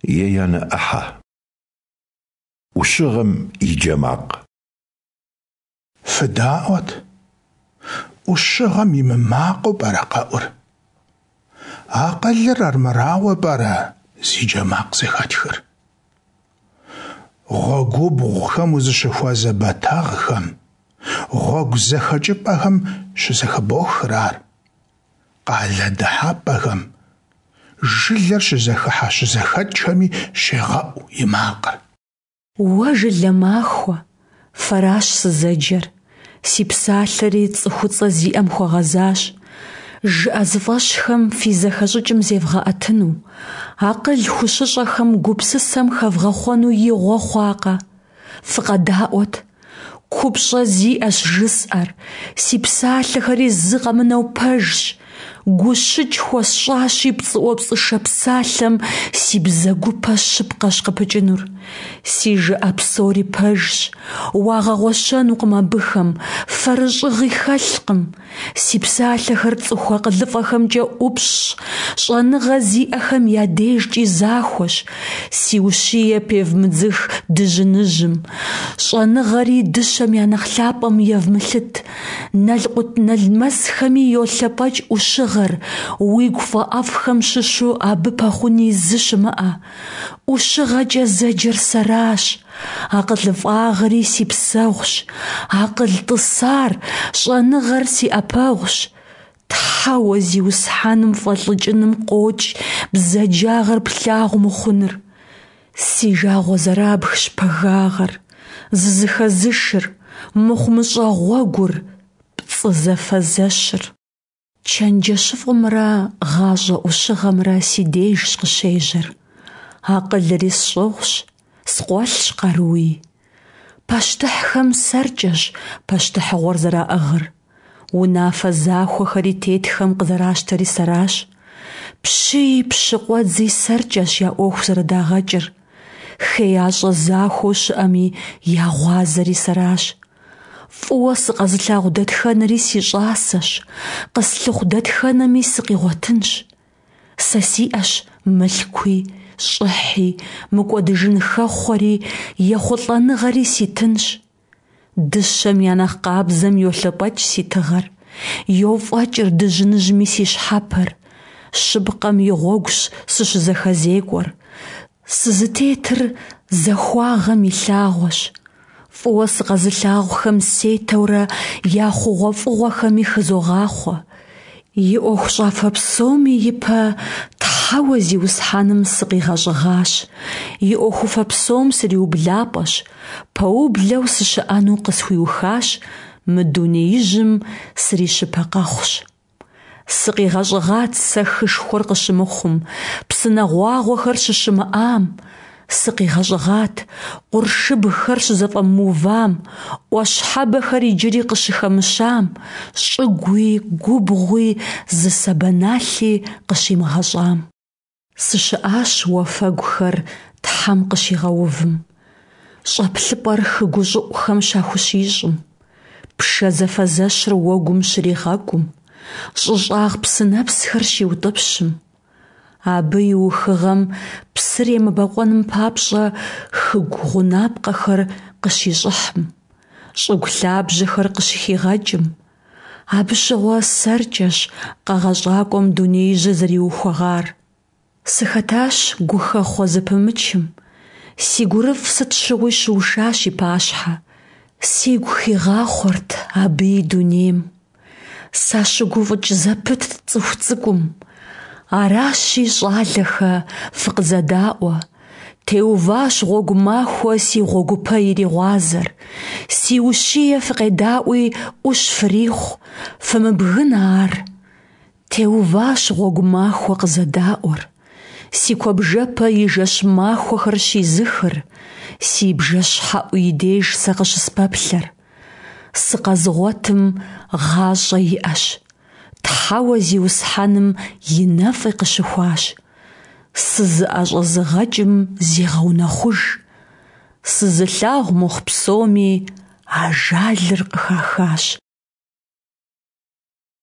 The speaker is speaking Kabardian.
Еянэ ӏыхьэ. ӏущыгъэм и джэ макъ. Фыдаӏуэт, ӏущыгъэм и мымакъыу пӏэрэ къэӏур? Акъылыр армырауэ пӏэрэ зи джэ макъ зэхэтхыр? Гъуэгубгъухэм узыщыхуэзэ бэтэгъхэм, гъуэгу зэхэкӏыпӏэхэм щызэхыбохыр ар. Къалэ дыхьэпӏэхэм, жылэр щызэхыхьэ-щызэхэкӏхэми щегъэӏу и макъыр. Уэ жылэ махуэ, фэращ сызэджэр, си псалъэри цӏыхуцӏэ зиӏэм хуэгъэзащ. Жыӏэзыфӏэщхэм фи зэхэщӏыкӏым зевгъэӏэтыну, акъыл хущыщӏэхэм гупсысэм хэвгъэхъуэну игъуэ хъуакъэ? Фыкъэдаӏуэт! Купщӏэ зиӏэщ жысӏэр, си псалъэхэри зы къэмынэу пэжщ. Гущыкӏ хуэсщӏащи пцӏыӏуэпцӏышэ псалъэм си бзэгупэ щыпкъэщ къыпыкӏынур. Си жыӏэ псори пэжщ, уагъэгъуэщэнукъым абыхэм, фэрыщӏыгъи хэлъкъым. Си псалъэхэр цӏыху акъылыфӏэхэмкӏэ ӏупщӏщ, щӏэныгъэ зиӏэхэм я дежкӏи захуэщ. Си ущие певмыдзых дыжьыныжьым, щӏэныгъэри дыщэм я нэхъ лъапӏэм евмылъыт. Налкъутналмэсхэми йолъэпӏэкӏ ӏущыгъэр, уигу фӏэӏэфӏхэм щыщу абы пэхъуни зы щымыӏэ. ӏущыгъэкӏэ зэджэр сэращ. Акъылыфӏагъэри си псэгъущ, акъыл тӏысар, щӏэныгъэр си ӏэпэгъущ. Тхьэуэ Зиусхьэным фӏэлӏыкӏыным къокӏ бзаджагъэр плъагъу мыхъуныр. Си жагъуэ зэрабгщ пагагъэр, зызыхэзышыр, мыхъумыщӏэ гъуэгур, пцӏы зэфэзэщыр. Чэнджэщыфӏымрэ гъащӏэ ӏущыгъэмрэ си дежщ къыщежьэр. Акъылри сщӏыгъущ, скъуэлъщ къаруи. Пащтыхьхэм сэркӏэщ пащтыхьыгъуэр зэраӏыгъыр. Унафэ захуэхэри тетхэм къызэращтэри сэращ. Пщыи пщы къуэдзи сэркӏэщ я ӏуэху зэрыдагъэкӏыр. Хеящӏэ захуэу щыӏэми я гъуазэри сэращ. Фӏыуэ сыкъэзылъагъу дэтхэнэри си щӏасэщ, къыслъыхъу дэтхэнэми сыкъигъуэтынщ. Сэ сиӏэщ мылъкуи, щӏыхьи, мыкӏуэдыжын хэхъуэри, ехъулӏэныгъэри ситынщ. Дыщэм я нэхъ къабзэм йолъэпӏэкӏ си тыгъэр, йофӏэкӏыр дыжьыныжьми си щхьэпэр. Щыпкъэм и гъуэгущ сыщызэхэзекӏуэр. Сызытетыр захуагъэм и лъагъуэщ. Фӏыуэ сыкъэзылъагъухэм сетэурэ я хъугъуэфӏыгъуэхэми хызогъахъуэ. И ӏуэхущӏафэ псоми ипэ Тхьэуэ Зиусхьэным сыкъигъэщӏыгъащ, и ӏуэхуфэ псом сриублапӏэщ, пэублэу сыщыӏэну къысхуиухащ, мы дунеижьым срищыпэкъэхъущ. Сыкъигъэщӏыгъат сэ хышхуэр къыщымыхъум, псынэ гъуагъуэхэр щыщымыӏам. Сыкъигъэщӏыгъат къуршыбгхэр щызэфӏэмыувам, ӏуащхьэбэхэр иджыри къыщыхэмыщам, щӏыгуи губгъуи зы сабэналъи къыщимыгъэщӏам. Сыщыӏащ уафэгухэр Тхьэм къыщигъэувым, щӏэплъыпӏэр хы гущӏыӏухэм щахущищӏым, пшэ зэфэзэщыр уэгум щригъэкӏум, щӏы щӏагъ псынэпсхэр щиутӏыпщым. Абы и ухыгъэм псыр емыбэкъуэным папщӏэ хыгу гъунапкъэхэр къыщищӏыхьым, щӏыгу лъабжьэхэр къыщыхигъэкӏым. Абы щыгъуэ сэркӏэщ Къэгъэщӏакӏуэм дунеижьыр зэриухуэгъар. Сыхэтащ гухэхъуэ зэпымычым, си гурыфӏ сыт щыгъуи щыушащ и пащхьэ. Сигу хигъахъуэрт абы и дунейм. Сащыгуфӏыкӏ зэпытт цӏыху цӏыкӏум. Аращи, щӏалэхэ, фыкъызэдаӏуэ. Теуващ гъуэгу махуэ си гъуэгупэ иригъуазэр. Си ущие фыкъедаӏуи, ӏущ фрихъу, фымыбгынэ ар. Теуващ гъуэгу махуэ къызэдаӏуэр, си куэбжэпэ и жэщ-махуэхэр щизыхыр, си бжэщхьэӏу и деж сэ къыщыспэплъэр. Сыкъэзыгъуэтым гъащӏэ иӏэщ, Тхьэуэ Зиусхьэным и нэфӏи къыщыхуащ. Сызыӏэщӏэзыгъэкӏым зегъэунэхъуж, сызылъагъу мыхъу псоми ажалыр къыхахащ.